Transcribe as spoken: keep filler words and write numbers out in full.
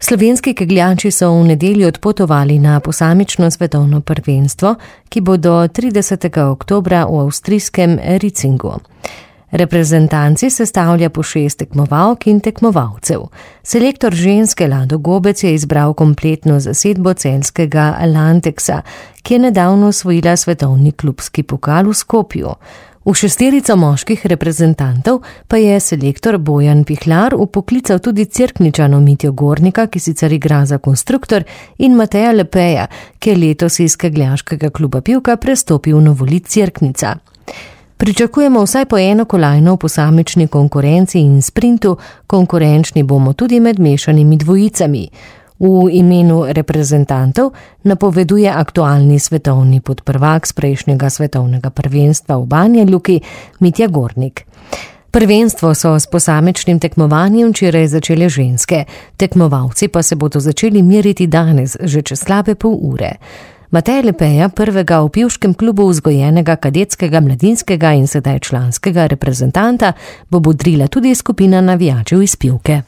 Slovenski kegljači so v nedeljo odpotovali na posamično svetovno prvenstvo, ki bo do tridesetega oktobra v avstrijskem Ricingu. Reprezentanci sestavlja po šest tekmovalk in tekmovalcev. Selektor ženske Lado Gobec je izbral kompletno zasedbo celjskega Lanteksa, ki je nedavno osvojila svetovni klubski pokal v Skopju. V šesterico moških reprezentantov pa je selektor Bojan Pihlar upoklical tudi Cerkničano Mitjo Gornika, ki sicer igra za konstruktor, in Mateja Lepeja, ki je letos iz kegljaškega kluba Pivka prestopil v Novolit Cerknica. Pričakujemo vsaj po eno kolajno v posamični konkurenci in sprintu, konkurenčni bomo tudi med mešanimi dvojicami. V imenu reprezentantov napoveduje aktualni svetovni podprvak z prejšnjega svetovnega prvenstva v Banja Luki Mitja Gornik. Prvenstvo so s posamičnim tekmovanjem včeraj začele ženske, tekmovalci pa se bodo začeli meriti danes, že čez slabe pol ure. Mateja Lepeja, prvega v pivškem klubu vzgojenega kadetskega, mladinskega in sedaj članskega reprezentanta, bo bodrila tudi skupina navijačev iz Pivke.